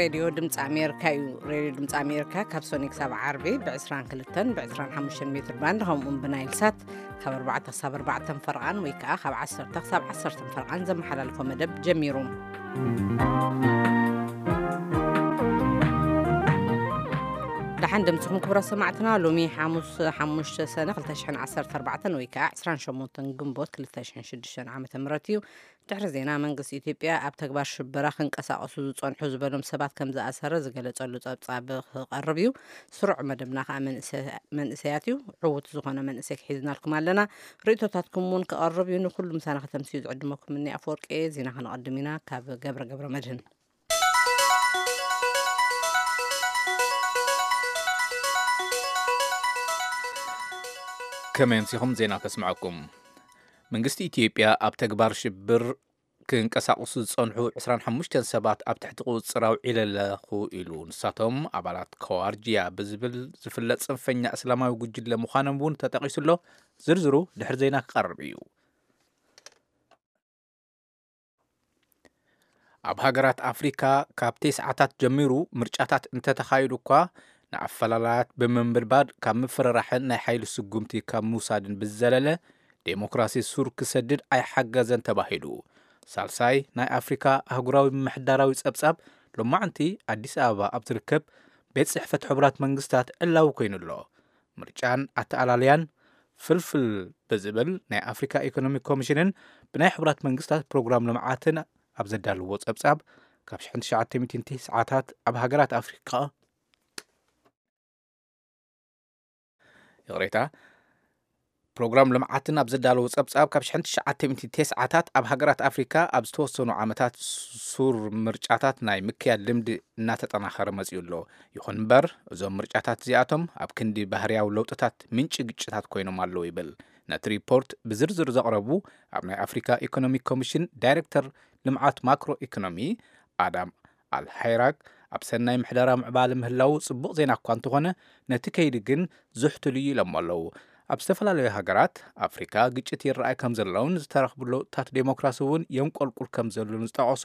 ሬድዮ ድምፂ ኣሜሪካ እዩ። ሬድዮ ድምፂ ኣሜሪካ ካብ ሶኒ ክሳብ ዓርቢ ብ22ን ብ25 ሜትር ባንድ፣ ከምኡውን ብናይል ሳት ካብ ኣርባዕተ ክሳብ ኣርባዕተ ፈርቓን ወይ ከዓ ካብ ዓሰርተ ክሳብ ዓሰርተ ፈርቓን ዘመሓላልፎ መደብ ጀሚሩ። ደሓን ደምስኹም ክቡራት ሰማዕትና። ሎሚ ሓሙስ ሓሙሽተ ሰነ ክልተ ሽሕን ዓሰርተ ኣርባዕተን ወይ ከዓ ዕስራን ሸሞንተን ግንቦት ክልተ ሽሕን ሽዱሽተን ዓመተ ምህረት እዩ። ድሕሪ ዜና፣ መንግስቲ ኢትዮጵያ ኣብ ተግባር ሽበራ ክንቀሳቐሱ ዝጸንሑ ዝበሎም ሰባት ከም ዝኣሰረ ዝገለጸሉ ጸብጻብ ክቐርብ እዩ። ስሩዕ መደብና ከኣ መንእሰ-፣ መንእሰያት እዩ። ዕዉት ዝኾነ መንእሰይ ክሒዝናልኩም ኣለና። ርእይቶታትኩም እውን ክቐርብ እዩ። ንኹሉ ምሳና ከተምስዩ ዝዕድመኩም እኒ ኣፈወርቂ። ዜና ከነቐድም ኢና ካብ ገብረ ገብረ መድህን። ከመይ ኣምሲኹም? ዜና ከስምዐኩም። መንግስቲ ኢትዮጵያ ኣብ ተግባር ሽብር ክንቀሳቐሱ ዝጸንሑ ዕስራን ሓሙሽተን ሰባት ኣብ ትሕቲ ቁጽጽር ኣውዒለ ኣለኹ ኢሉ። ንሳቶም ኣባላት ከዋርጅያ ብዝብል ዝፍለጥ ጽንፈኛ እስላማዊ ጉጅለ ምዃኖም እውን ተጠቒሱ ኣሎ። ዝርዝሩ ድሕሪ ዜና ክቐርብ እዩ። ኣብ ሃገራት ኣፍሪካ ካብ ተስዓታት ጀሚሩ ምርጫታት እንተተኻይዱ እኳ፣ ንኣፈላላያት ብምንብድባድ ካብ ምፍርራሕን ናይ ሓይሊ ስጉምቲ ካብ ምውሳድን ብዝዘለለ፣ ዴሞክራሲ ሱር ክሰድድ ኣይሓገዘን ተባሂሉ። ሳልሳይ ናይ ኣፍሪካ ኣህጉራዊ ምምሕዳራዊ ጸብጻብ ሎማዕንቲ ኣዲስ ኣበባ ኣብ ዝርከብ ቤት ጽሕፈት ሕቡራት መንግስታት ዕላዊ ኮይኑ ኣሎ። ምርጫን ኣተኣላልያን ፍልፍል ብዝብል ናይ ኣፍሪካ ኢኮኖሚክ ኮሚሽንን ብናይ ሕቡራት መንግስታት ፕሮግራም ልምዓትን ኣብ ዘዳለዎ ጸብጻብ፣ ካብ ሽሕን ትሽዓተ ሚእትን ተስዓታት ኣብ ሃገራት ኣፍሪካ፣ ይቕሬታ፣ ፕሮግራም ልምዓትን ኣብ ዘዳለዎ ጸብጻብ፣ ካብ ሽሕን ትሽዓተ ሚእትን ተስዓታት ኣብ ሃገራት ኣፍሪካ ኣብ ዝተወሰኑ ዓመታት ሱር ምርጫታት ናይ ምክያድ ልምዲ እናተጠናኸረ መጺኡ ኣሎ። ይኹን እምበር፣ እዞም ምርጫታት እዚኣቶም ኣብ ክንዲ ባህርያዊ ለውጥታት ምንጪ ግጭታት ኮይኖም ኣለዉ ይብል። ነቲ ሪፖርት ብዝርዝር ዘቕረቡ ኣብ ናይ ኣፍሪካ ኢኮኖሚክ ኮሚሽን ዳይሬክተር ልምዓት ማክሮ ኢኮኖሚ ኣዳም ኣልሃይራክ፣ ኣብ ሰናይ ምሕደራ ምዕባለ ምህላዉ ጽቡቕ ዜና እኳ እንተኾነ፣ ነቲ ከይዲ ግን ዝሕትሉ እዩ ኢሎም ኣለዉ። ኣብ ዝተፈላለዩ ሃገራት ኣፍሪካ ግጭት ይረኣይ ከም ዘለውን ዝተረኽቡ ለውጥታት ዴሞክራሲ እውን የንቆልቁል ከም ዘሎን ዝጠቐሱ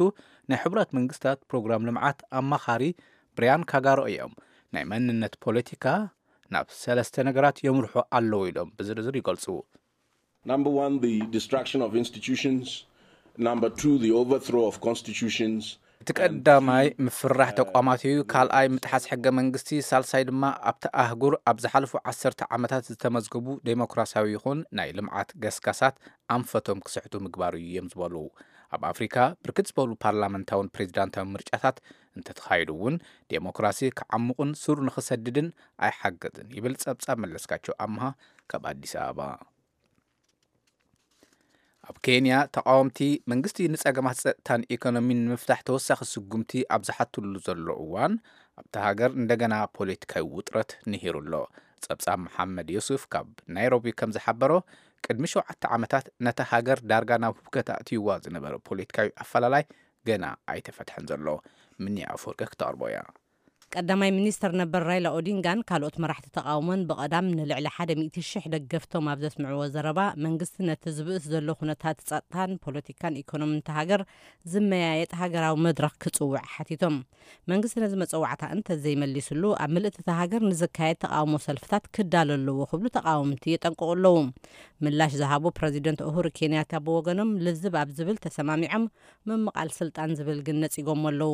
ናይ ሕቡራት መንግስታት ፕሮግራም ልምዓት ኣማኻሪ ብርያን ካጋሮ እዮም። ናይ መንነት ፖለቲካ ናብ ሰለስተ ነገራት የምርሑ ኣለዉ ኢሎም ብዝርዝር ይገልጹ። Number one, the destruction of institutions. Number two, the overthrow of constitutions. እቲ ቀዳማይ ምፍራሕ ተቋማት እዩ። ካልኣይ ምጥሓስ ሕገ መንግስቲ። ሳልሳይ ድማ ኣብቲ ኣህጉር ኣብ ዝሓለፉ ዓሰርተ ዓመታት ዝተመዝገቡ ዴሞክራሲያዊ ይኹን ናይ ልምዓት ገስጋሳት ኣንፈቶም ክስሕቱ ምግባር እዩ እዮም ዝበሉ። ኣብ ኣፍሪካ ብርክት ዝበሉ ፓርላመንታውን ፕሬዚዳንታዊ ምርጫታት እንተተኻይዱ እውን ዴሞክራሲ ክዓሙቕን ሱር ንኽሰድድን ኣይሓገዝን ይብል ጸብጻብ መለስካቸው ኣምሃ ካብ ኣዲስ ኣበባ። ኣብ ኬንያ ተቃወምቲ መንግስቲ ንጸገማት ጸጥታን ኢኮኖሚን ንምፍታሕ ተወሳኺ ስጉምቲ ኣብ ዝሓትሉ ዘሎ እዋን ኣብታ ሃገር እንደገና ፖለቲካዊ ውጥረት ንሂሩ ኣሎ። ጸብጻብ መሓመድ ዮሱፍ ካብ ናይሮቢ ከም ዝሓበሮ ቅድሚ ሸውዓተ ዓመታት ነታ ሃገር ዳርጋ ናብ ሁከት ኣእትይዋ ዝነበረ ፖለቲካዊ ኣፈላላይ ገና ኣይተፈትሐን ዘሎ። ምኒ ኣፈወርቂ ክተቕርቦ እያ። ቀዳማይ ሚኒስተር ነበር ራይላ ኦዲንጋን ካልኦት መራሕቲ ተቓውሞን ብቐዳም ንልዕሊ ሓደ ሚእቲ ሽሕ ደገፍቶም ኣብ ዘስምዕዎ ዘረባ፣ መንግስቲ ነቲ ዝብእስ ዘሎ ኩነታት ጸጥታን ፖለቲካን ኢኮኖምን እታ ሃገር ዝመያየጥ ሃገራዊ መድረኽ ክጽውዕ ሓቲቶም። መንግስቲ ነዚ መጸዋዕታ እንተ ዘይመሊስሉ፣ ኣብ ምልእቲ እታ ሃገር ንዝካየድ ተቓውሞ ሰልፍታት ክዳሎ ኣለዎ ክብሉ ተቓወምቲ የጠንቅቑ ኣለዉ። ምላሽ ዝሃቡ ፕረዚደንት ኡሁሩ ኬንያታ ብወገኖም፣ ልዝብ ኣብ ዝብል ተሰማሚዖም፣ ምምቓል ስልጣን ዝብል ግን ነጺጎሞ ኣለዉ።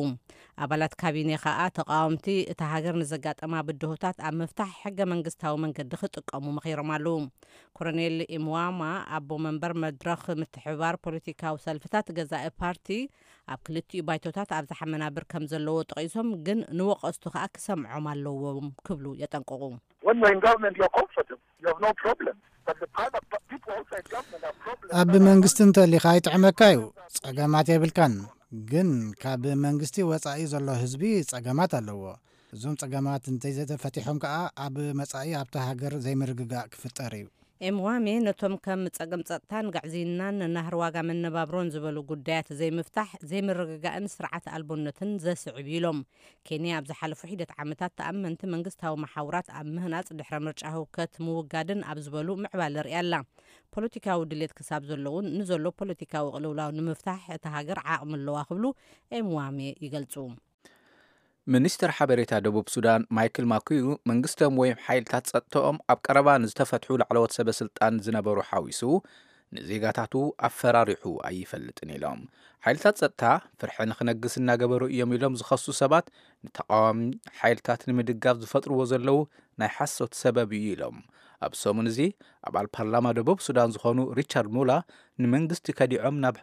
ኣባላት ካቢኔ ከኣ ተቓወምቲ እታ ሃገር ንዘጋጠማ ብድሆታት ኣብ ምፍታሕ ሕገ መንግስታዊ መንገዲ ክጥቀሙ መኺሮም ኣለዉ። ኮሎኔል ኢምዋማ ኣቦ መንበር መድረኽ ምትሕብባር ፖለቲካዊ ሰልፍታት ገዛኢ ፓርቲ ኣብ ክልቲኡ ባይቶታት ኣብዝሓ መናብር ከም ዘለዎ ጠቒሶም፣ ግን ንወቐስቱ ከኣ ክሰምዖም ኣለዎም ክብሉ የጠንቅቑ። When you're in government, you're comfortable. You have no problem. But the private pa-, people outside government have problems. ኣብ መንግስቲ እንተሊኻ ይጥዕመካ እዩ፣ ጸገማት የብልካን። ግን ካብ መንግስቲ ወጻኢ ዘሎ ህዝቢ ጸገማት ኣለዎ። እዞም ጸገማት እንተይዘተፈቲሖም ከኣ ኣብ መጻኢ ኣብታ ሃገር ዘይምርግጋእ ክፍጠር እዩ። ኤምዋሜ ነቶም ከም ጸገም ጸጥታን ግዕዝይናን ናህሪ ዋጋ መነባብሮን ዝበሉ ጉዳያት ዘይምፍታሕ ዘይምርግጋእን ስርዓት ኣልቦነትን ዘስዕብ እዩ ኢሎም። ኬንያ ኣብ ዝሓለፉ ሒደት ዓመታት ተኣመንቲ መንግስታዊ መሓውራት ኣብ ምህናጽ ድሕረ ምርጫ ህውከት ምውጋድን ኣብ ዝበሉ ምዕባለ ርእያ ኣላ። ፖለቲካዊ ድሌት ክሳብ ዘለውን ንዘሎ ፖለቲካዊ ቅልውላው ንምፍታሕ እታ ሃገር ዓቕሚ ኣለዋ ክብሉ ኤምዋሜ ይገልጹ። ሚኒስትር ሓበሬታ ደቡብ ሱዳን ማይክል ማኩዩ፣ መንግስቶም ወይም ሓይልታት ጸጥታኦም ኣብ ቀረባ ንዝተፈትሑ ላዕለዎት ሰበ ስልጣን ዝነበሩ ሓዊሱ ንዜጋታቱ ኣፈራሪሑ ኣይፈልጥን ኢሎም። ሓይልታት ጸጥታ ፍርሒ ንክነግስ እናገበሩ እዮም ኢሎም ዝኸሱ ሰባት፣ ንተቃዋሚ ሓይልታት ንምድጋፍ ዝፈጥርዎ ዘለዉ ናይ ሓሶት ሰበብ እዩ ኢሎም። ኣብ ሰሙን እዚ ኣባል ፓርላማ ደቡብ ሱዳን ዝኾኑ ሪቻርድ ሙላ፣ ንመንግስቲ ከዲዖም ናብ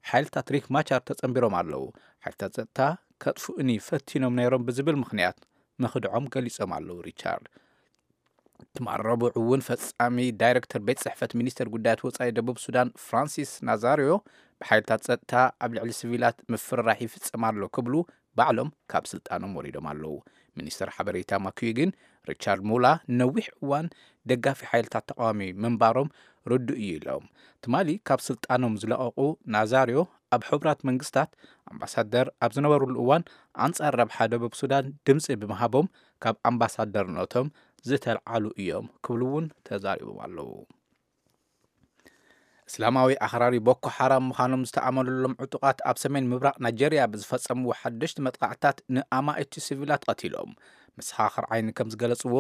ሓይልታት ሪክ ማቻር ተጸንቢሮም ኣለዉ። ሓይልታት ጸጥታ ከጥፍኡኒ ፈቲኖም ነይሮም ብዝብል ምኽንያት ምኽድዖም ገሊጾም ኣለዉ። ሪቻርድ ትማል ረቡዕ እውን ፈጻሚ ዳይሬክተር ቤት ጽሕፈት ሚኒስተር ጉዳያት ወጻኢ ደቡብ ሱዳን ፍራንሲስ ናዛሪዮ፣ ብሓይልታት ጸጥታ ኣብ ልዕሊ ሲቪላት ምፍርራሕ ይፍጸም ኣሎ ክብሉ ባዕሎም ካብ ስልጣኖም ወሪዶም ኣለዉ። ሚኒስተር ሓበሬታ ማኩዩ ግን፣ ሪቻርድ ሙላ ነዊሕ እዋን ደጋፊ ሓይልታት ተቃዋሚ ምንባሮም ርዱእ እዩ ኢሎም። ትማሊ ካብ ስልጣኖም ዝለቐቑ ናዛሪዮ፣ ኣብ ሕቡራት መንግስታት ኣምባሳደር ኣብ ዝነበሩሉ እዋን ኣንጻር ረብሓ ደቡብ ሱዳን ድምጺ ብምሃቦም ካብ ኣምባሳደርነቶም ዝተልዓሉ እዮም ክብሉ እውን ተዛሪቦም ኣለዉ። እስላማዊ ኣኽራሪ ቦኮ ሓራም ምዃኖም ዝተኣመነሎም ዕጡቓት ኣብ ሰሜን ምብራቕ ናይጀርያ ብዝፈጸምዎ ሓደሽቲ መጥቃዕትታት ንኣማኢቲ ሲቪላት ቀቲሎም። መሰኻኽር ዓይኒ ከም ዝገለጽዎ፣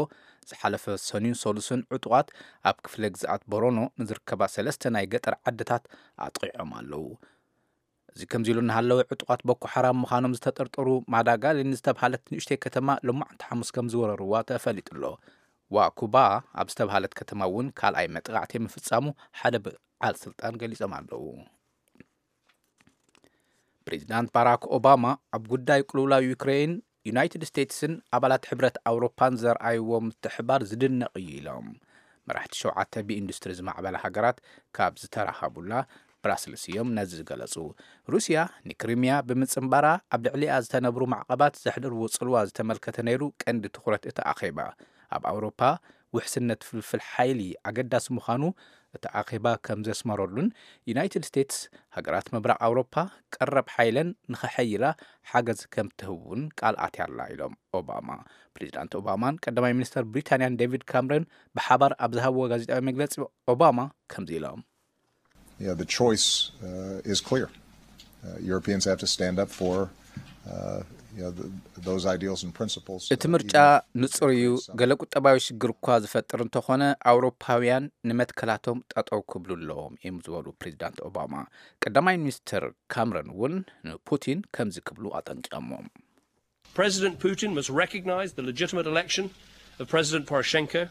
ዝሓለፈ ሰኑን ሰሉስን ዕጡቓት ኣብ ክፍለ ግዝኣት ቦሮኖ ንዝርከባ ሰለስተ ናይ ገጠር ዓድታት ኣጥቒዖም ኣለዉ። እዚ ከምዚ ኢሉ እናሃለወ፣ ዕጡቓት ቦኮ ሓራም ምዃኖም ዝተጠርጠሩ ማዳጋሊን ዝተብሃለት ንእሽተይ ከተማ ሎማዕንቲ ሓሙስ ከም ዝወረርዋ ተፈሊጡ ኣሎ። ዋኩባ ኣብ ዝተብሃለት ከተማ እውን ካልኣይ መጥቃዕቲ ምፍጻሙ ሓደ በዓል ስልጣን ገሊጾም ኣለዉ። ፕሬዚዳንት ባራክ ኦባማ ኣብ ጉዳይ ቅልውላው ዩክሬን፣ ዩናይትድ ስቴትስን ኣባላት ሕብረት ኣውሮፓን ዘርኣይዎ ምትሕባር ዝድነቕ እዩ ኢሎም። መራሕቲ ሸውዓተ ብኢንዱስትሪ ዝማዕበላ ሃገራት ካብ ዝተራኸቡላ ብራስልስ እዮም ነዚ ዝገለጹ። ሩስያ ንክሪሚያ ብምጽንባራ ኣብ ልዕሊኣ ዝተነብሩ ማዕቐባት ዘሕደርዎ ጽልዋ ዝተመልከተ ነይሩ ቀንዲ ትኹረት እቲ ኣኼባ። ኣብ ኣውሮፓ ውሕስነት ፍልፍል ሓይሊ ኣገዳሲ ምዃኑ እቲ ኣኼባ ከም ዘስመረሉን፣ ዩናይትድ ስቴትስ ሃገራት ምብራቕ ኣውሮፓ ቀረብ ሓይለን ንኸሐይላ ሓገዝ ከም ትህብ እውን ቃል ኣትያ ኣላ ኢሎም ኦባማ። ፕሬዚዳንት ኦባማን ቀዳማይ ሚኒስተር ብሪታንያን ዴቪድ ካምረን ብሓባር ኣብ ዝሃብዎ ጋዜጣዊ መግለጺ፣ ኦባማ ከምዚ ኢሎም። Yeah, the choice uh, is clear. Uh, Europeans have to stand up for uh, you know, the, those ideals and principles. እቲ ምርጫ ንጹር እዩ። ገለ ቁጠባዊ ሽግር እኳ ዝፈጥር እንተኾነ፣ ኣውሮፓውያን ንመትከላቶም ጠጠው ክብሉ ኣለዎም እዮም ዝበሉ ፕሬዚዳንት ኦባማ። ቀዳማይ ሚኒስትር ካምረን እውን ንፑቲን ከምዚ ክብሉ ኣጠንቂቐሞም። President Putin must recognize the legitimate election of President Poroshenko.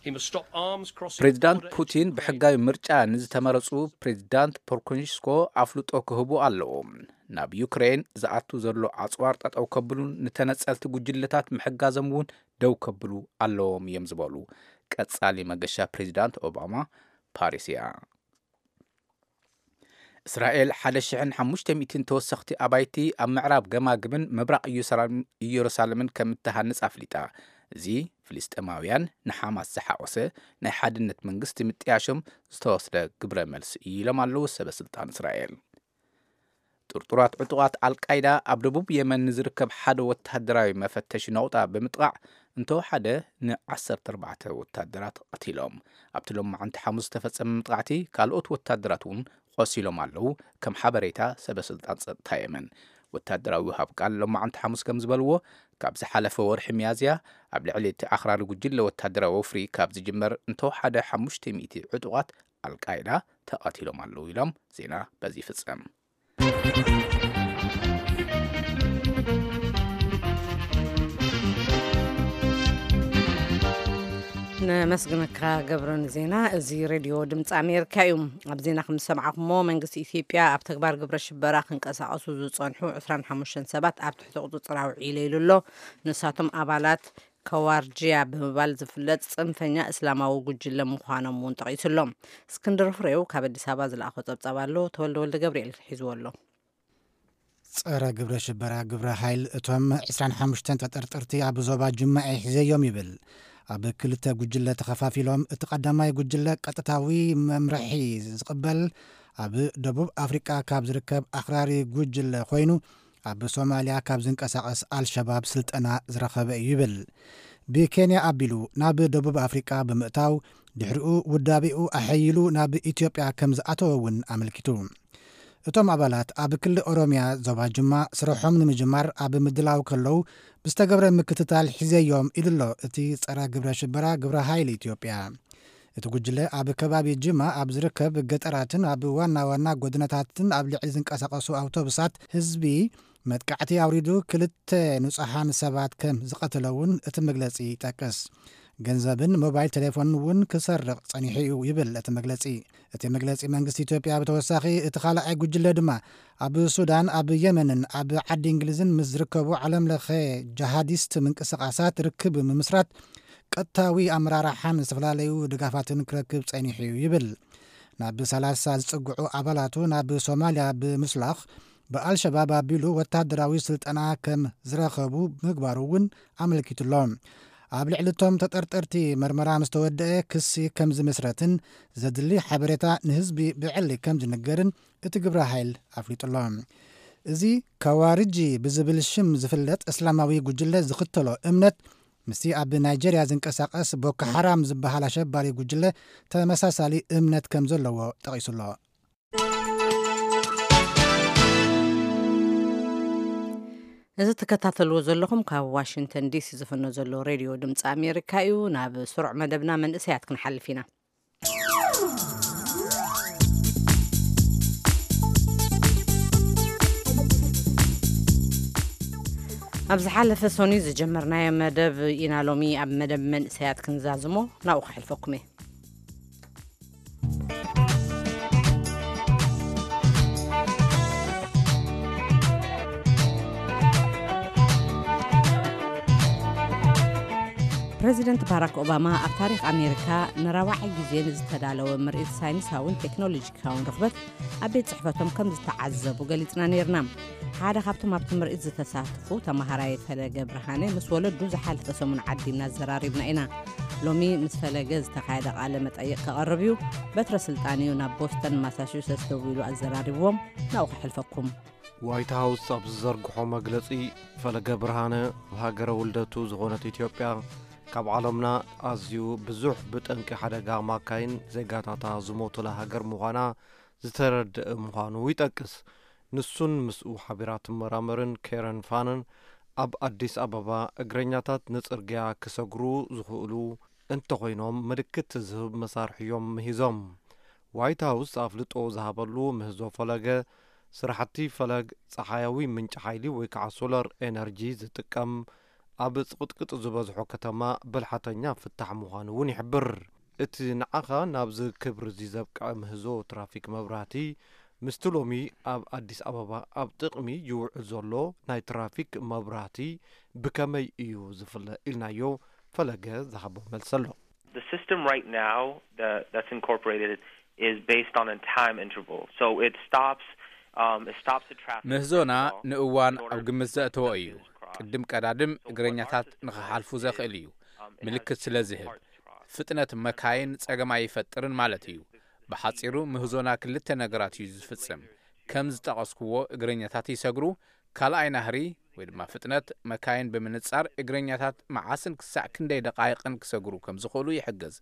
He must stop arms crossing the ፕሬዚዳንት border. ፑቲን ብሕጋዊ ምርጫ ንዝተመረጹ ፕሬዚዳንት ፖርኮንሽኮ ኣፍልጦ ክህቡ ኣለዎም። ናብ ዩክሬን ዝኣቱ ዘሎ ኣጽዋር ጠጠው ከብሉን ንተነጸልቲ ጉጅለታት ምሕጋዞም እውን ደው ከብሉ ኣለዎም እዮም ዝበሉ ቀጻሊ መገሻ ፕሬዚዳንት ኦባማ ፓሪስ እያ። እስራኤል ሓደ ሽሕን ሓሙሽተ ሚእትን ተወሰኽቲ ኣባይቲ ኣብ ምዕራብ ገማግምን ምብራቕ ኢየሩሳሌምን ከም እትሃንጽ ኣፍሊጣ። እዚ ፍልስጤማውያን ንሓማስ ዝሓቖሰ ናይ ሓድነት መንግስቲ ምጥያሾም ዝተወስደ ግብረ መልሲ እዩ ኢሎም ኣለዉ ሰበ ስልጣን እስራኤል። ጥርጡራት ዕጡቓት ኣልቃይዳ ኣብ ደቡብ የመን ንዝርከብ ሓደ ወታደራዊ መፈተሺ ነቑጣ ብምጥቓዕ እንተወሓደ ን ዓሰርተ ኣርባዕተ ወታደራት ቀቲሎም። ኣብቲ ሎማዓንቲ ሓሙስ ዝተፈጸመ መጥቃዕቲ ካልኦት ወታደራት እውን ቆሲሎም ኣለዉ፣ ከም ሓበሬታ ሰበ ስልጣን ጸጥታ የመን። ወታደራዊ ወሃብ ቃል ሎማዓንቲ ሓሙስ ከም ዝበልዎ፣ ካብ ዝሓለፈ ወርሒ ሚያዝያ ኣብ ልዕሊ እቲ ኣኽራሪ ጉጅለ ወታደራዊ ወፍሪ ካብ ዝጅመር እንተወሓደ ሓሙሽተ ሚእቲ ዕጡቓት ኣልቃይዳ ተቐቲሎም ኣለዉ ኢሎም። ዜና በዚ ይፍጸም። ነመስግነካ ገብረ ንዜና። እዚ ሬድዮ ድምፂ ኣሜሪካ እዩ። ኣብ ዜና ከም ዝሰማዕኩሞ መንግስቲ ኢትዮጵያ ኣብ ተግባር ግብረ ሽበራ ክንቀሳቐሱ ዝፀንሑ ዕስራን ሓሙሽተን ሰባት ኣብ ትሕቲ ቁፅፅር ኣውዒለ ኢሉ ኣሎ። ንሳቶም ኣባላት ከዋርጅያ ብምባል ዝፍለጥ ፅንፈኛ እስላማዊ ጉጅለ ምዃኖም እውን ጠቒሱ ኣሎ። እስክንድር ፍሬው ካብ ኣዲስ ኣበባ ዝለኣኾ ፀብፃብ ኣሎ። ተወልደ ወልደ ገብርኤል ሒዝዎ ኣሎ። ጸረ ግብረ ሽበራ ግብረ ኃይል እቶም ዕስራን ሓሙሽተን ተጠርጠርቲ ኣብ ዞባ ጅማኤ ሒዘዮም ይብል። ኣብ ክልተ ጉጅለ ተኸፋፊሎም፣ እቲ ቀዳማይ ጉጅለ ቀጥታዊ መምርሒ ዝቕበል ኣብ ደቡብ ኣፍሪቃ ካብ ዝርከብ ኣኽራሪ ጉጅለ ኮይኑ፣ ኣብ ሶማልያ ካብ ዝንቀሳቐስ ኣልሸባብ ስልጠና ዝረኸበ እዩ ይብል። ብኬንያ ኣቢሉ ናብ ደቡብ ኣፍሪቃ ብምእታው፣ ድሕሪኡ ውዳቤኡ ኣሐይሉ ናብ ኢትዮጵያ ከም ዝኣተወ እውን ኣመልኪቱ። እቶም ኣባላት ኣብ ክልል ኦሮምያ ዞባ ጅማ ስርሖም ንምጅማር ኣብ ምድላው ከለዉ ብዝተገብረ ምክትታል ሒዘዮም ኢሉ ኣሎ እቲ ጸረ ግብረ ሽበራ ግብረ ሓይሊ ኢትዮጵያ። እቲ ጉጅለ ኣብ ከባቢ ጅማ ኣብ ዝርከብ ገጠራትን ኣብ ዋና ዋና ጎደናታትን ኣብ ልዕሊ ዝንቀሳቐሱ ኣውቶቡሳት ህዝቢ መጥቃዕቲ ኣውሪዱ ክልተ ንጹሓን ሰባት ከም ዝቐተለ እውን እቲ መግለጺ ይጠቅስ። ገንዘብን ሞባይል ቴሌፎንን እውን ክሰርቕ ጸኒሑ እዩ ይብል እቲ መግለጺ። እቲ መግለጺ መንግስቲ ኢትዮጵያ ብተወሳኺ እቲ ካልኣይ ጉጅለ ድማ ኣብ ሱዳን፣ ኣብ የመንን ኣብ ዓዲ እንግሊዝን ምስ ዝርከቡ ዓለም ለኸ ጀሃዲስት ምንቅስቓሳት ርክብ ምምስራት ቀጥታዊ ኣመራርሓን ዝተፈላለዩ ድጋፋትን ክረክብ ጸኒሑ እዩ ይብል። ናብ ሰላሳ ዝጽግዑ ኣባላቱ ናብ ሶማልያ ብምስላኽ ብኣልሸባብ ኣቢሉ ወታደራዊ ስልጠና ከም ዝረኸቡ ምግባሩ እውን ኣመልኪቱሎ። ኣብ ልዕሊ እቶም ተጠርጠርቲ መርመራ ምስ ተወደአ ክሲ ከም ዝምስረትን ዘድሊ ሓበሬታ ንህዝቢ ብዕሊ ከም ዝንገርን እቲ ግብረ ሓይል ኣፍሊጡሎ። እዚ ካዋርጂ ብዝብል ሽም ዝፍለጥ እስላማዊ ጉጅለ ዝኽተሎ እምነት ምስቲ ኣብ ናይጀርያ ዝንቀሳቐስ ቦኮ ሓራም ዝበሃል ኣሸባሪ ጉጅለ ተመሳሳሊ እምነት ከም ዘለዎ ጠቒሱሎ። እዚ ትከታተልዎ ዘለኹም ካብ ዋሽንግተን ዲሲ ዝፍኖ ዘሎ ሬድዮ ድምፂ ኣሜሪካ እዩ። ናብ ስሩዕ መደብና መንእሰያት ክንሓልፍ ኢና። ኣብ ዝሓለፈ ሰኑይ ዝጀመርናዮ መደብ ኢና ሎሚ ኣብ መደብ መንእሰያት ክንዛዝሞ ናብኡ ከሕልፈኩም እየ። ፕረዚደንት ባራክ ኦባማ ኣብ ታሪኽ ኣሜሪካ ንራብዓይ ግዜ ንዝተዳለወ ምርኢት ሳይንሳውን ቴክኖሎጂካውን ርኽበት ኣብ ቤት ጽሕፈቶም ከም ዝተዓዘቡ ገሊጽና ነይርና። ሓደ ካብቶም ኣብቲ ምርኢት ዝተሳተፉ ተማሃራይ ፈለገ ብርሃነ ምስ ወለዱ ዝሓለፈ ሰሙን ዓዲምና ኣዘራሪብና ኢና። ሎሚ ምስ ፈለገ ዝተኻየደ ቃለ መጠይቕ ከቐርብ እዩ። በትረ ስልጣን እዩ ናብ ቦስተን ማሳቹሰትስ ደዊሉ ኣዘራሪብዎም። ናብኡ ከሕልፈኩም። ዋይት ሃውስ ኣብ ዝዘርግሖ መግለጺ፣ ፈለገ ብርሃነ፣ ብሃገረ ውልደቱ ዝኾነት ኢትዮጵያ፣ ካብ ዓለምና ኣዝዩ ብዙሕ ብጠንቂ ሓደጋ ማካይን ዜጋታታ ዝሞቱላ ሃገር ምዃና ዝተረድአ ምዃኑ ይጠቅስ። ንሱን ምስኡ ሓቢራ ትመራመርን ኬረን ፋንን ኣብ ኣዲስ ኣበባ፣ እግረኛታት ንጽርግያ ክሰግሩ ዝኽእሉ እንተኾይኖም ምልክት ዝህብ መሳርሒ እዮም ምሂዞም። ዋይት ሃውስ ኣፍልጦ ዝሃበሉ ምህዞ ፈለገ፣ ስራሕቲ ፈለግ ጸሓያዊ ምንጪ ሓይሊ ወይ ከዓ ሶላር ኤነርጂ ዝጥቀም ኣብ ጽቕጥቅጥ ዝበዝሖ ከተማ ብልሓተኛ ፍታሕ ምዃኑ እውን ይሕብር። እቲ ንዓኻ ናብዚ ክብሪ እዚ ዘብቅዐ ምህዞ ትራፊክ መብራህቲ፣ ምስቲ ሎሚ ኣብ ኣዲስ ኣበባ ኣብ ጥቕሚ ይውዕል ዘሎ ናይ ትራፊክ መብራህቲ ብከመይ እዩ ዝፍለ ኢልናዮ፣ ፈለገ ዝሃቦ መልሲ ኣሎ። The system right now that, that's incorporated is based on a time interval. So it stops, um, it stops the traffic. ምህዞና ንእዋን ኣብ ግምት ዘእተወ እዩ። ቅድም ቀዳድም እግረኛታት ንኽሓልፉ ዘኽእል እዩ፣ ምልክት ስለ ዝህብ። ፍጥነት መካይን ጸገም ኣይፈጥርን ማለት እዩ። ብሓጺሩ ምህዞና ክልተ ነገራት እዩ ዝፍጽም። ከም ዝጠቐስኩዎ እግረኛታት ይሰግሩ፣ ካልኣይ ናህሪ ወይ ድማ ፍጥነት መካይን ብምንጻር እግረኛታት መዓስን ክሳዕ ክንደይ ደቓይቕን ክሰግሩ ከም ዝኽእሉ ይሕግዝ።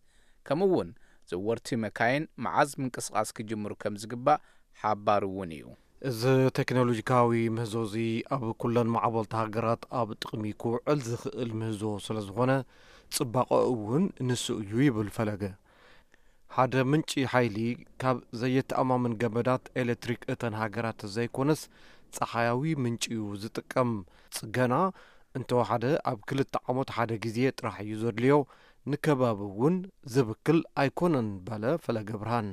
ከምኡ እውን ዘወርቲ መካይን መዓዝ ምንቅስቓስ ክጅምሩ ከም ዝግባእ ሓባሪ እውን እዩ። እዚ ቴክኖሎጂካዊ ምህዞ እዚ ኣብ ኩለን ማዕበልቲ ሃገራት ኣብ ጥቕሚ ክውዕል ዝኽእል ምህዞ ስለ ዝኾነ፣ ጽባቐኡ እውን ንሱ እዩ ይብል ፈለገ። ሓደ ምንጪ ሓይሊ ካብ ዘየተኣማምን ገመዳት ኤሌክትሪክ እተን ሃገራት ዘይኮነስ፣ ጸሓያዊ ምንጪ እዩ ዝጥቀም። ጽገና እንተወሓደ ኣብ ክልተ ዓመት ሓደ ግዜ ጥራሕ እዩ ዘድልዮ፣ ንከባቢ እውን ዝብክል ኣይኮነን በለ ፈለገ ብርሃን።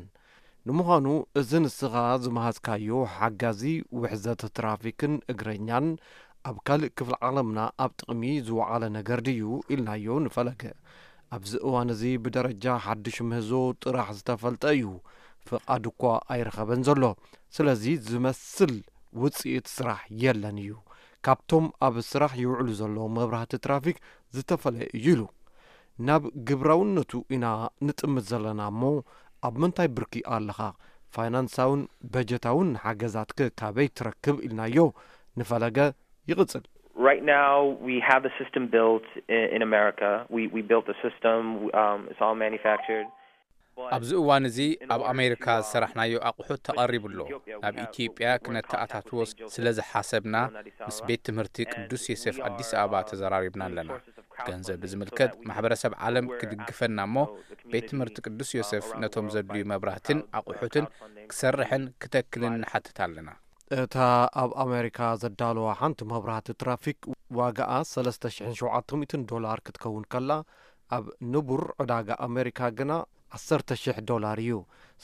ንምዃኑ እዚ ንስኻ ዝመሃዝካዮ ሓጋዚ ውሕዘት ትራፊክን እግረኛን ኣብ ካልእ ክፍሊ ዓለምና ኣብ ጥቕሚ ዝወዓለ ነገር ድዩ ኢልናዮ ንፈለገ። ኣብዚ እዋን እዚ ብደረጃ ሓድሽ ምህዞ ጥራሕ ዝተፈልጠ እዩ፣ ፍቓድ እኳ ኣይረኸበን ዘሎ። ስለዚ ዝመስል ውፅኢት ስራሕ የለን እዩ፣ ካብቶም ኣብ ስራሕ ይውዕሉ ዘለዉ መብራህቲ ትራፊክ ዝተፈለየ እዩ ኢሉ። ናብ ግብራውነቱ ኢና ንጥምት ዘለና እሞ ኣብ ምንታይ ብርኪ ኣለኻ? ፋይናንሳውን በጀታውን ሓገዛትከ ካበይ ትረክብ ኢልናዮ ንፈለገ ይቕጽል። Right now, we have the system built in, in America. We, we built the system. Um, it's all manufactured. ኣብዚ እዋን እዚ ኣብ ኣሜሪካ ዝሰራሕናዮ ኣቑሑት ተቐሪቡ ኣሎ። ናብ ኢትዮጵያ ክነተኣታትዎ ስለ ዝሓሰብና ምስ ቤት ትምህርቲ ቅዱስ ዮሴፍ ኣዲስ ኣበባ ተዘራሪብና ኣለና። ገንዘብ ብዝምልከት ማሕበረሰብ ዓለም ክድግፈና እሞ ቤት ትምህርቲ ቅዱስ ዮሴፍ ነቶም ዘድልዩ መብራህትን ኣቑሑትን ክሰርሕን ክተክልን ንሓትት ኣለና። እታ ኣብ ኣሜሪካ ዘዳለዋ ሓንቲ መብራህቲ ትራፊክ ዋጋኣ ሰለስተ ሽሕን ሸውዓተ ሚእትን ዶላር ክትከውን ከላ፣ ኣብ ንቡር ዕዳጋ ኣሜሪካ ግና ዓሰርተ ሽሕ ዶላር እዩ።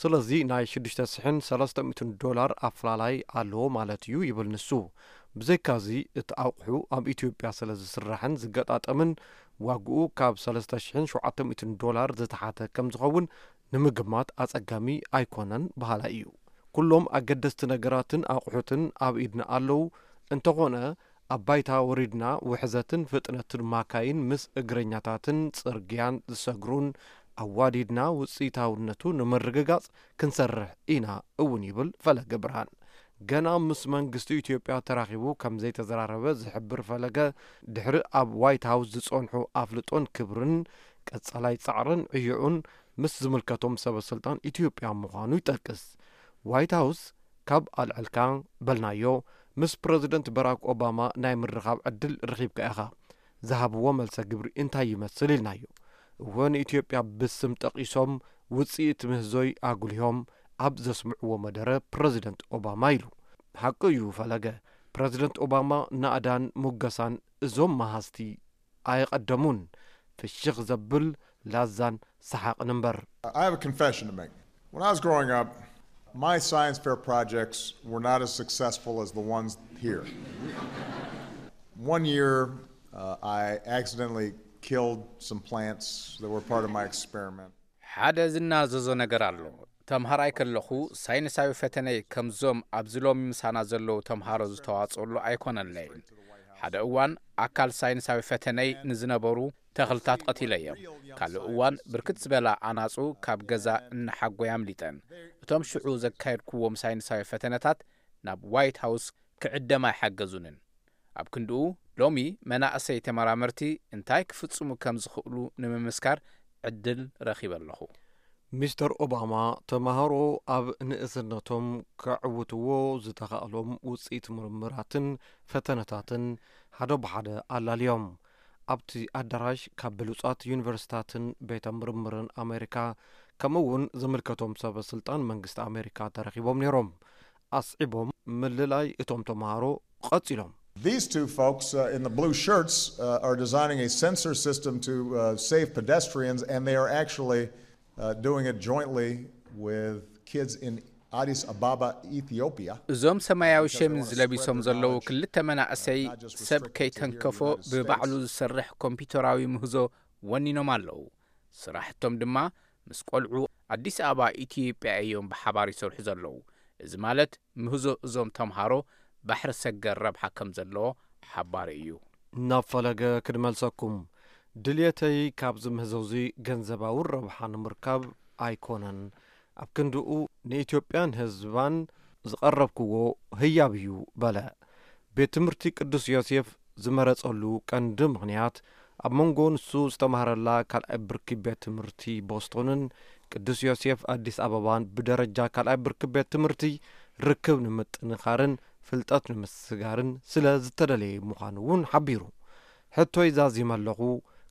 ስለዚ ናይ ሽዱሽተ ሽሕን ሰለስተ ሚእትን ዶላር ኣፍላላይ ኣለዎ ማለት እዩ ይብል ንሱ። ብዘይካዚ እቲ ኣቑሑ ኣብ ኢትዮጵያ ስለ ዝስራሕን ዝገጣጠምን ዋግኡ ካብ ሰለስተ ሽሕን ሸውዓተ ሚእትን ዶላር ዝተሓተ ከም ዝኸውን ንምግማት ኣጸጋሚ ኣይኮነን በሃላይ እዩ። ኩሎም ኣገደስቲ ነገራትን ኣቑሑትን ኣብ ኢድና ኣለዉ። እንተኾነ ኣብ ባይታ ወሪድና ውሕዘትን ፍጥነትን ማካይን ምስ እግረኛታትን ጽርግያን ዝሰግሩን ኣዋዲድና ውጽኢታውነቱ ንምርግጋጽ ክንሰርሕ ኢና እውን ይብል ፈለገ ብርሃን። ገና ምስ መንግስቲ ኢትዮጵያ ተራኺቡ ከም ዘይተዘራረበ ዝሕብር ፈለገ፣ ድሕሪ ኣብ ዋይት ሃውስ ዝጸንሑ ኣፍልጦን ክብርን ቀጻላይ ጻዕርን ዕዮኡን ምስ ዝምልከቶም ሰበ ስልጣን ኢትዮጵያ ምዃኑ ይጠቅስ። ዋይት ሃውስ ካብ ኣልዕልካ በልናዮ፣ ምስ ፕረዚደንት በራክ ኦባማ ናይ ምርኻብ ዕድል ረኺብካ ኢኻ፣ ዝሃብዎ መልሰ ግብሪ እንታይ ይመስል ኢልናዮ። እወ ንኢትዮጵያ ብስም ጠቒሶም ውጽኢት ምህዞይ ኣጉሊሆም ኣብ ዘስምዕዎ መደረ ፕረዚደንት ኦባማ ኢሉ። ሓቂ እዩ ፈለገ፣ ፕረዚደንት ኦባማ ናእዳን ሙገሳን እዞም መሃዝቲ ኣየቐደሙን። ፍሽኽ ዘብል ላዛን ሰሓቕን እምበር። I have a confession to make. When I was growing up, my science fair projects were not as successful as the ones here. One year, uh, I accidentally killed some plants that were part of my experiment. ሓደ ዝናዘዞ ነገር ኣሎ። ተምሃራይ ከለኹ ሳይንሳዊ ፈተነይ ከምዞም ኣብዚ ሎሚ ምሳና ዘለዉ ተምሃሮ ዝተዋጽኡሉ ኣይኮነለይን። ሓደ እዋን ኣካል ሳይንሳዊ ፈተነይ ንዝነበሩ ተኽልታት ቀቲለዮም። ካልእ እዋን ብርክት ዝበላ ኣናጹ ካብ ገዛ እናሓጎያ ኣምሊጠን። እቶም ሽዑ ዘካየድኩዎም ሳይንሳዊ ፈተነታት ናብ ዋይት ሃውስ ክዕደም ኣይሓገዙንን። ኣብ ክንድኡ ሎሚ መናእሰይ ተመራመርቲ እንታይ ክፍጽሙ ከም ዝኽእሉ ንምምስካር ዕድል ረኺበ ኣለኹ። ሚስተር ኦባማ ተማሃሮ ኣብ ንእስነቶም ከዕውትዎ ዝተኻእሎም ውፅኢት ምርምራትን ፈተነታትን ሓደ ብሓደ ኣላልዮም። ኣብቲ ኣዳራሽ ካብ ብሉፃት ዩኒቨርሲታትን ቤተ ምርምርን ኣሜሪካ ከምኡ እውን ዝምልከቶም ሰበ ስልጣን መንግስቲ ኣሜሪካ ተረኺቦም ነይሮም። ኣስዒቦም ምልላይ እቶም ተምሃሮ ቀፂሎም። These two folks uh, in the blue shirts uh, are designing a sensor system to uh, save pedestrians, and they are actually uh, doing it jointly with kids in Addis Ababa, Ethiopia. እዞም ሰማያዊ ሸሚዝ ለቢሶም ዘለዉ ክልተ መናእሰይ ሰብ ከይተንከፎ ብባዕሉ ዝሰርሕ ኮምፒውተራዊ ምህዞ ወኒኖም ኣለዉ። ስራሕቶም ድማ ምስ ቆልዑ ኣዲስ ኣበባ ኢትዮጵያ እዮም ብሓባር ይሰርሑ ዘለዉ። እዚ ማለት ምህዞ እዞም ተምሃሮ ባሕሪ ሰገር ረብሓ ከም ዘለዎ ሓባሪ እዩ። ናብ ፈለገ ክድመልሰኩም ድልየተይ ካብዚ ምህዞ እዚ ገንዘባዊ ረብሓ ንምርካብ ኣይኮነን። ኣብ ክንድኡ ንኢትዮጵያን ህዝባን ዝቐረብክዎ ህያብ እዩ በለ። ቤት ትምህርቲ ቅዱስ ዮሴፍ ዝመረጸሉ ቀንዲ ምኽንያት ኣብ መንጎ ንሱ ዝተማህረላ ካልኣይ ብርኪ ቤት ትምህርቲ ቦስቶንን ቅዱስ ዮሴፍ ኣዲስ ኣበባን ብደረጃ ካልኣይ ብርኪ ቤት ትምህርቲ ርክብ ንምጥንኻርን ፍልጠት ንምስጋርን ስለ ዝተደለየ ምዃኑ እውን ሓቢሩ። ሕቶይ ዛዚመ ኣለኹ፣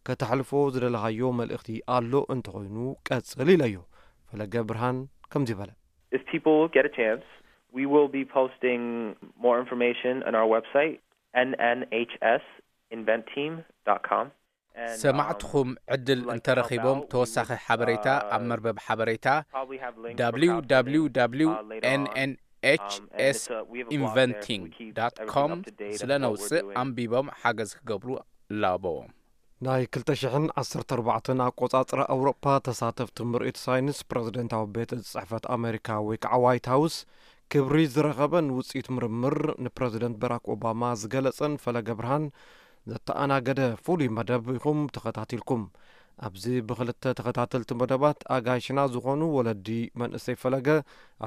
ከተሕልፎ ዝደለኻዮ መልእኽቲ ኣሎ እንተኾይኑ ቀጽል ኢለዮ። ፈለገ ብርሃን ከምዚ በለ። If people get a chance, we will be posting more information on our website, N N H S invent team dot com. ሰማዕትኹም ዕድል እንተረኺቦም ተወሳኺ ሓበሬታ ኣብ መርበብ ሓበሬታ www nhsinventing com ስለ ነውፅእ ኣንቢቦም ሓገዝ ክገብሩ እላበዎም። ናይ ክልተ ሽሕን ዓሰርተ ኣርባዕተን ኣቆጻጽራ ኣውሮጳ ተሳተፍቲ ምርኢት ሳይንስ ፕረዚደንታዊ ቤት ጽሕፈት ኣሜሪካ ወይ ከዓ ዋይት ሃውስ ክብሪ ዝረኸበን ውፅኢት ምርምር ንፕረዚደንት በራክ ኦባማ ዝገለጸን ፈለገ ብርሃን ዘተኣናገደ ፍሉይ መደብ ኢኹም ተኸታቲልኩም። ኣብዚ ብክልተ ተኸታተልቲ መደባት ኣጋይሽና ዝኾኑ ወለዲ መንእሰይ ፈለገ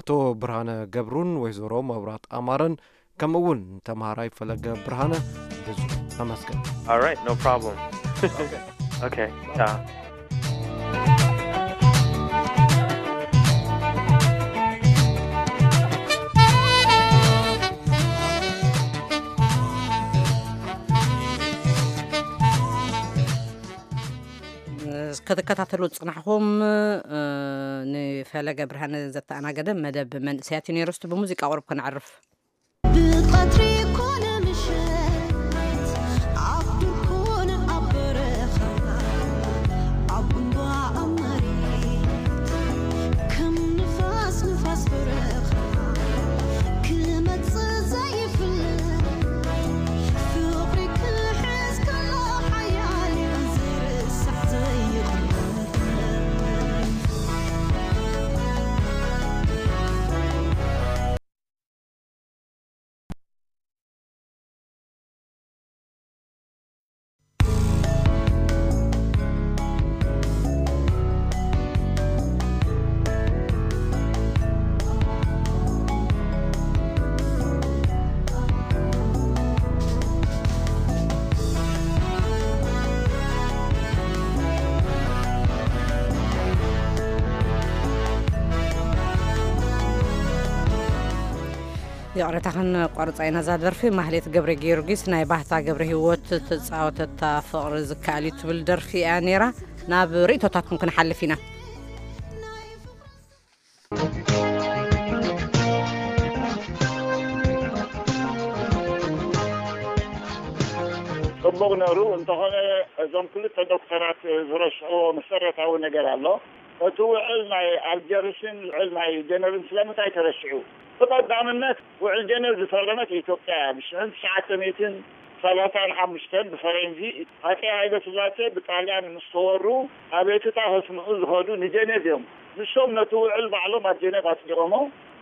ኣቶ ብርሃነ ገብሩን ወይዘሮ መብራት ኣማረን ከምኡ እውን ተምሃራይ ፈለገ ብርሃነ ብዙ ተመስገን። All right, no problem. Okay. Yeah. ትከታተሉ ዝጽናሕኩም፣ እ፣ ንፈለገ ብርሃነ ዘተኣናገደ መደብ መንእሰያት እዩ ነይሩ። እስቲ ብሙዚቃ ቁሩብ ከነዕርፍ። ብቐትሪ ኮነ ምሸት፣ ኣብ ዱር ኮነ ኣብ በረኻ፣ ኣብ እምባ ኣብ መሬት፣ ከም ንፋስ ንፋስ በረኻ፣ ክመጽእ ዘይፍለጥ ፍቕሪ ክሕዝ ከሎ ሓያል እዩ ዘይርስዕ ዘይቕለስ። ይቕሬታ፣ ክንቋርጻ ኢና እዛ ደርፊ። ማህሌት ገብረ ጊዮርጊስ ናይ ባህታ ገብረ ህይወት ትጻወተታ ፍቕሪ ዝከኣል እዩ ትብል ደርፊ እያ ነይራ። ናብ ርእይቶታትኩም ክንሓልፍ ኢና። ጽቡቕ ነሩ። እንተኾነ፣ እዞም ክልተ ዶክተራት ዝረስዕዎ መሰረታዊ ነገር ኣሎ። እቲ ውዕል ናይ ኣልጀርስን ውዕል ናይ ጀነቭን ስለምንታይ ተረሲዑ? ብቐዳምነት፣ ውዕል ጀነቭ ዝፈረመት ኢትዮጵያ እያ። ብሽሕን ትሽዓተ ሚእትን ሰላሳን ሓሙሽተን ብፈረንጂ፣ ሃፀይ ሃይለ ስላሴ ብጣልያን ምስ ተወሩ፣ ኣቤቱታ ከስምዑ ዝኸዱ ንጀነቭ እዮም። ንሶም ነቲ ውዕል ባዕሎም ኣብ ጀነቭ ኣጽዲቖሞ።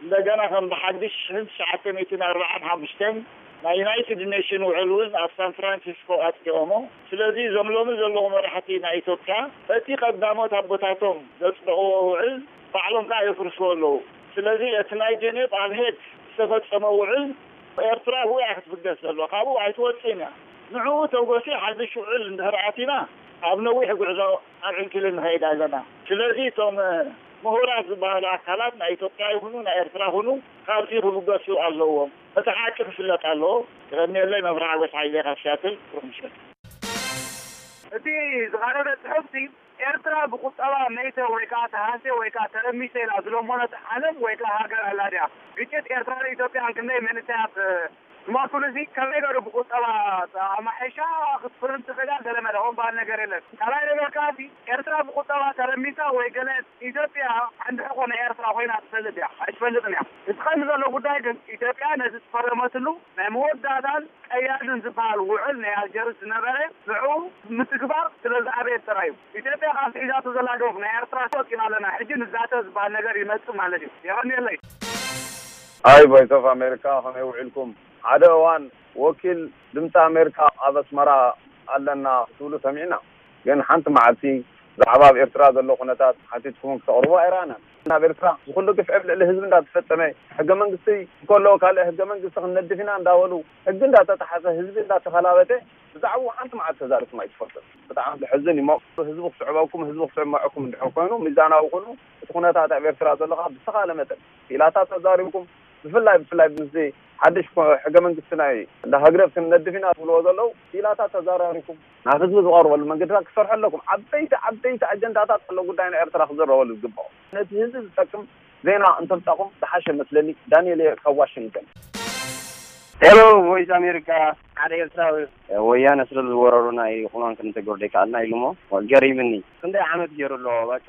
እንደገና ከም ብሓድሽ ሽሕን ትሽዓተ ሚእትን ኣርባዓን ሓሙሽተን ናይ ዩናይትድ ኔሽን ውዕል እውን ኣብ ሳን ፍራንሲስኮ ኣጽዲቖሞ። ስለዚ እዞም ሎሚ ዘለዉ መራሕቲ ናይ ኢትዮጵያ በቲ ቀዳሞት ኣቦታቶም ዘጽደቕዎ ውዕል ባዕሎም ከኣ የፍርስዎ ኣለዉ። ስለዚ እቲ ናይ ጀኔቭ ኣብ ሄግ ዝተፈጸመ ውዕል ኤርትራ ብኡ እያ ክትፍገስ ዘለዋ፣ ካብኡ ኣይትወጽእን እያ። ንዕኡ ተጎሲ ሓድሽ ውዕል እንድሕር ኣቲና ኣብ ነዊሕ ጉዕዞ ኣብ ዕንክሊል ንኸይድ ኣለና። ስለዚ እቶም ምሁራት ዝበሃሉ ኣካላት ናይ ኢትዮጵያ ይኹኑ ናይ ኤርትራ ይኹኑ ካብዚ ክብገሱ ኣለዎም። እቲ ሓቂ ክፍለጥ ኣለዎ። የቐንየለይ። መብርሃ ጎስ ሓይለ ካብ ሲያትል። ብሩኽ ምሸት። እቲ ዝቐረበ ጽሑፍሲ ኤርትራ ብቁጠባ መይተ ወይ ከኣ ተሃስየ ወይ ከኣ ተረሚሰ ኢላ ዝለመነት ዓለም ወይ ከኣ ሃገር ኣላ ድያ? ግጭት ኤርትራን ኢትዮጵያን ክንደይ መንእሰያት ዝሞቱሉሲ ከመይ ገይሩ ብቁጠባ ኣማሒሻ ክትፍርን ትኽእል እያ? ገለ መለ ከምኡ ዝበሃል ነገር የለን። ካልኣይ ነገር ከኣ ኤርትራ ብቁጠባ ተረሚሳ ወይ ገለ ኢትዮጵያ ዓንዲ ሕቆ ናይ ኤርትራ ኮይና ትፈልጥ እያ? ኣይትፈልጥን እያ። እቲ ቀንዲ ዘሎ ጉዳይ ግን ኢትዮጵያ ነቲ ዝፈረመትሉ ናይ መወዳእታን ቀያድን ዝበሃል ውዕል ናይ ኣልጀርስ ዝነበረ ንዕኡ ምትግባር ስለ ዝኣበየት ጥራይ እዩ። ኢትዮጵያ ካብቲ ሒዛቶ ዘላ ዶብ ናይ ኤርትራ ተወፂና ኣለና፣ ሕጂ ንዛተ ዝበሃል ነገር ይመፅእ ማለት እዩ። የቐንየለይ። ኣይ ቮይስ ኦፍ ኣሜሪካ፣ ከመይ ውዒልኩም? ሓደ እዋን ወኪል ድምፂ ኣሜሪካ ኣብ ኣስመራ ኣለና ክትብሉ ሰሚዕና። ግን ሓንቲ መዓልቲ ብዛዕባ ኣብ ኤርትራ ዘሎ ኩነታት ሓቲትኩም ክተቕርቡ ኣይረኣናን። ኣብ ኤርትራ ዝኹሉ ግፍዒ ኣብ ልዕሊ ህዝቢ እንዳተፈጸመ፣ ሕገ መንግስቲ እንከሎ ካልእ ሕገ መንግስቲ ክንነድፍ ኢና እንዳበሉ፣ ሕጊ እንዳተጣሓሰ፣ ህዝቢ እንዳተኸላበተ፣ ብዛዕባኡ ሓንቲ መዓልቲ ተዛሪብኩም ኣይትፈልጡን። ብጣዕሚ ዘሕዝን እዩ። ህዝቢ ክስዕበኩም፣ ህዝቢ ክስዕብ መዐኩም እንድሕር ኮይኑ፣ ሚዛናዊ ኩኑ። እቲ ኩነታት ኣብ ኤርትራ ዘሎ ከዓ ብዝተኻለ መጠን ክኢላታት ተዛሪብኩም፣ ብፍላይ፣ ብፍላይ ምስዚ ሓድሽ ኮ-፣ ሕገ መንግስቲ ናይ እንዳ ህግደፍ ክንነድፍ ኢና ትብልዎ ዘለዉ ክኢላታት ተዘራሪብኩም፣ ናብ ህዝቢ ዝቐርበሉ መንገድታት ክሰርሑ ኣለኩም። ዓበይቲ፣ ዓበይቲ ኣጀንዳታት ኣሎ ጉዳይ ናይ ኤርትራ ክዝረበሉ ዝግብኦ። ነቲ ህዝቢ ዝጠቅም ዜና እንተምጻኹም ዝሓሸ መስለኒ። ዳንኤል እየ ካብ ዋሽንግተን። ሄሎ፣ ቮይስ ኣሜሪካ። ሓደ ኤርትራዊ፣ ወያነ ስለ ዝወረሩና እዩ ቁማም ክንተግብር ዘይከኣልና ኢሉ እሞ ገሪምኒ። ክንደይ ዓመት ገይሩ ኣሎ፣ በቃ፣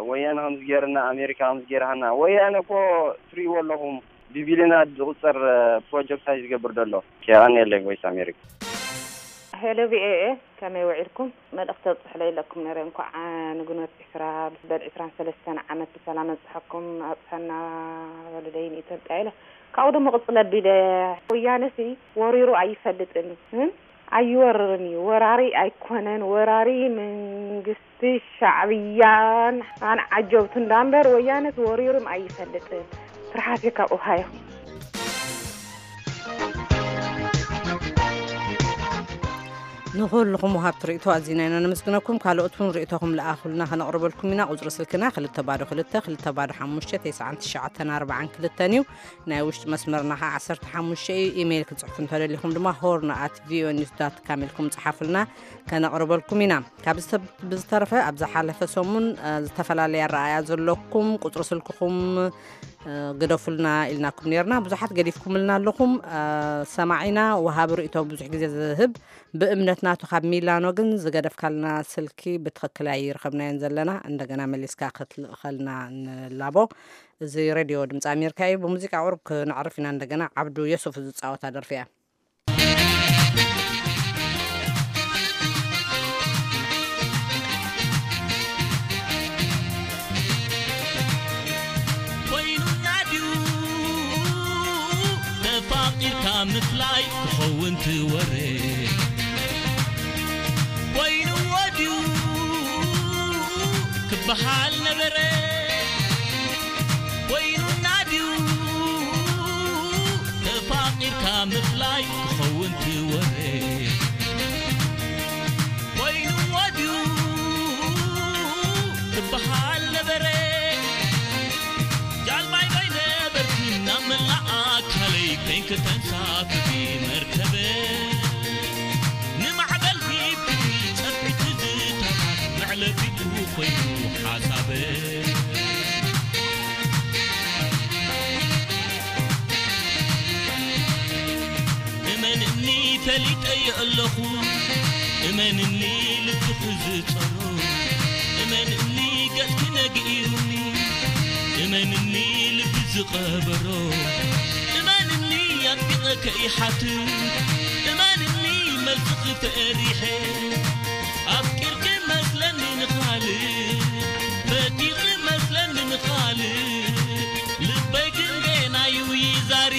ወያነ ከምዚ ገይርና፣ ኣሜሪካ ከምዚ ገይርሃና። ወያነ እኮ ትርእይዎ ኣለኹም፣ ብቢልዮናት ዝቑጸር ፕሮጀክት እዩ ዝገብር ዘሎ። የቐንየለይ ቮይስ ኣሜሪካ። ሄሎ ቪኦኤ፣ ከመይ ውዒልኩም? መልእኽቲ ኣብጽሑለይ ኢለኩም ነይረ። እንኳዕ ንግንቦት ዕስራ በል ዕስራን ሰለስተን ዓመት ብሰላም ኣብጽሐኩም፣ ኣብጽሐና በሉለይ ንኢትዮጵያ ኢለ። ካብኡ ደሞ ቅጽል ኣቢለ፣ ወያነሲ ወሪሩ ኣይፈልጥን፣ እም? ኣይወርርን እዩ። ወራሪ ኣይኮነን። ወራሪ መንግስቲ ሻዕብያን ኣን ዓጀብቱ እንዳምበር ወያነስ ወሪሩም ኣይፈልጥን። ትርሓሴ ካብ ኦሃዮ። ንኹልኹም ወሃብቲ ርእይቶ ኣዚና ኢና ነመስግነኩም። ካልኦት እውን ርእይቶኹም ለኣኹልና፣ ከነቕርበልኩም ኢና። ቁጽሪ ስልክና ክልተ ባዶ ክልተ፣ ክልተ ባዶ ሓሙሽተ፣ ተስዓን ትሽዓተን ኣርባዓን ክልተን እዩ። ናይ ውሽጢ መስመርና ኸዓ ዓሰርተ ሓሙሽተ እዩ። ኢሜይል ክትጽሕፉ እንተደሊኹም ድማ ሆርን ኣት ቪኦኤ ኒውስ ዳት ካም ኢልኩም ጽሓፉልና፣ ከነቕርበልኩም ኢና። ካብ ዝተብ-፣ ብዝተረፈ ኣብ ዝሓለፈ ሰሙን፣ እ፣ ዝተፈላለየ ኣረኣእያ ዘለኩም ቁጽሪ ስልክኹም፣ እ፣ ግደፉልና ኢልናኩም ነርና። ብዙሓት ገዲፍኩምልና ኣለኹም። እ፣ ሰማዒና ወሃቢ ርእይቶ ብዙሕ ግዜ ዝህብ ብእምነት ናቱ ካብ ሚላኖ ግን ዝገደፍካልና ስልኪ ብትኽክል ኣይረኸብናዮን ዘለና። እንደገና መሊስካ ክትልእኸልና ንላቦ። እዚ ሬድዮ ድምፂ ኣሜሪካ እዩ። ብሙዚቃ ቁሩብ ክነዕርፍ ኢና። እንደገና ዓብዱ የሱፍ ዝፃወታ ደርፊ እያ። ኮይኑና ድዩ ተፋቒርካ ምፍላይ ክኸውን ትወረ? ኮይንዎ ድዩ ክበሃል ነበረ? ኮይኑና ድዩ ተፋቒርካ ምፍላይ ክኸውን ትወረ? ኮይንዎ ድዩ ክበሃል ነበረ? ጃልባይ ባይ ነበርኪ ናብ መላእ ኣካለይ ኮይንኪ ተንሳፍፊ መርከበ። ንማዕበል ሂብኪ ጸፍሒ ትዝታታት መዕለቢኡ ኮይኑ ሓሳበ። እመንኒ ፈሊጠዮ ኣለኹ፣ እመንኒ ልብኺ ዝጸሮ፣ እመንኒ ገጽኪ ነጊሩኒ፣ እመንኒ ልቢ ዝቐበሮ፣ እመንኒ ኣጥቢቐ ከይሓትት፣ እመንኒ መልስኺ ፈሪሐ። ኣፍቂርኪ መስለኒ ንኻልእ፣ ፈቲኺ መስለኒ ንኻልእ፣ ልበይ ግን ገና እዩ ይዛሪ።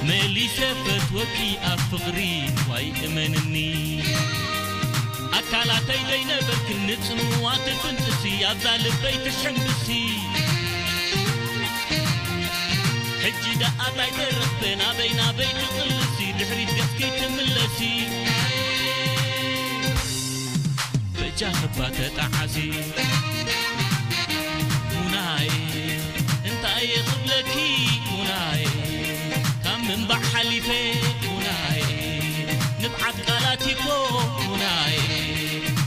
መሊሰ ፈትወኪ ኣብ ፍቕሪ ዋይ እመንኒ። ኣካላተይ ዘይነበርክን ንጽምዋ ትፍንጥሲ ኣብዛ ልበይ ትሕምብሲ። ሕጂ ደኣ ታይ ተረኽበ ናበይ ናበይ ትቕልሲ ድሕሪት ገጽኪ ትምለሲ። በጃ ክባ ተጣዓሲ ሙናይ እንታይ ክብለኪ ሙናይ ካብ ምንባዕ ሓሊፈ ሙናይ ንብዓት ቃላት ይኮ ሙናይ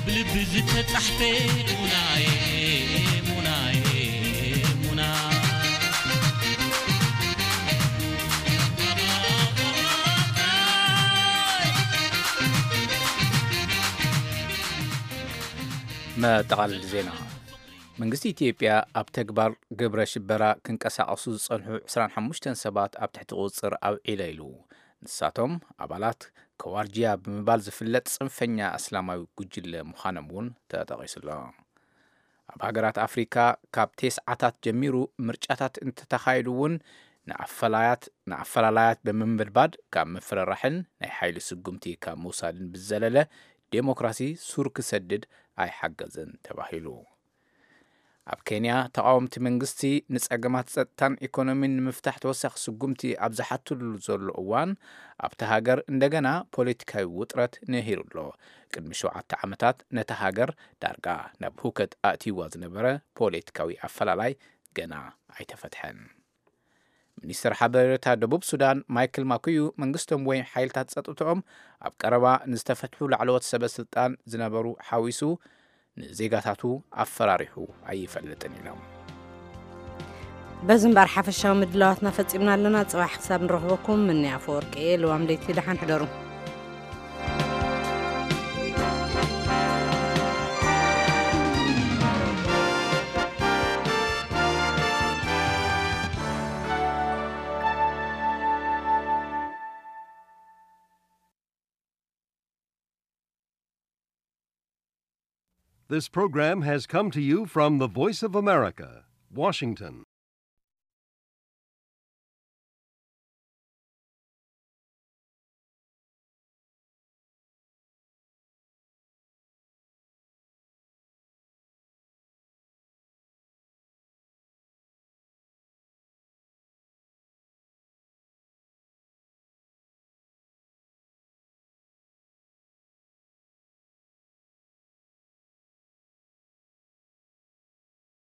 ብልቢ ዝተጻሕፈ ሙናይ ሙናይ ሙና መጠቓለሊ ዜና። መንግስቲ ኢትዮጵያ ኣብ ተግባር ግብረ ሽበራ ክንቀሳቐሱ ዝጸንሑ ዕስራን ሓሙሽተን ሰባት ኣብ ትሕቲ ቁጽጽር ኣውዒለ ኢሉ። ንሳቶም ኣባላት ከዋርጂያ ብምባል ዝፍለጥ ጽንፈኛ እስላማዊ ጉጅለ ምዃኖም እውን ተጠቒሱ ኣሎ። ኣብ ሃገራት ኣፍሪካ ካብ ቴስዓታት ጀሚሩ ምርጫታት እንተተኻየዱ እውን ንኣፈላያት ንኣፈላላያት ብምምድባድ ካብ ምፍርራሕን ናይ ሓይሊ ስጉምቲ ካብ ምውሳድን ብዘለለ ዴሞክራሲ ሱር ክሰድድ ኣይሓገዘን ተባሂሉ። ኣብ ኬንያ ተቓወምቲ መንግስቲ ንጸገማት ጸጥታን ኢኮኖሚን ንምፍታሕ ተወሳኺ ስጉምቲ ኣብ ዝሓትሉ ዘሎ እዋን ኣብቲ ሃገር እንደገና ፖለቲካዊ ውጥረት ነሂሩ ኣሎ። ቅድሚ ሸውዓተ ዓመታት ነታ ሃገር ዳርጋ ናብ ሁከት ኣእትይዋ ዝነበረ ፖለቲካዊ ኣፈላላይ ገና ኣይተፈትሐን። ሚኒስትር ሓበሬታ ደቡብ ሱዳን ማይክል ማኩዩ መንግስቶም ወይ ሓይልታት ጸጥትኦም ኣብ ቀረባ ንዝተፈትሑ ላዕለዎት ሰበ ስልጣን ዝነበሩ ሓዊሱ ንዜጋታቱ ኣፈራሪሑ ኣይፈልጥን ኢሎም። በዚ እምበር ሓፈሻዊ ምድላዋትና ፈጺምና ኣለና። ጽባሕ ክሳብ ንረኽበኩም ምንያ ኣፈወርቂ እየ። ልዋም ለይቲ ደሓን ሕደሩ። This program has come to you from the Voice of America, Washington.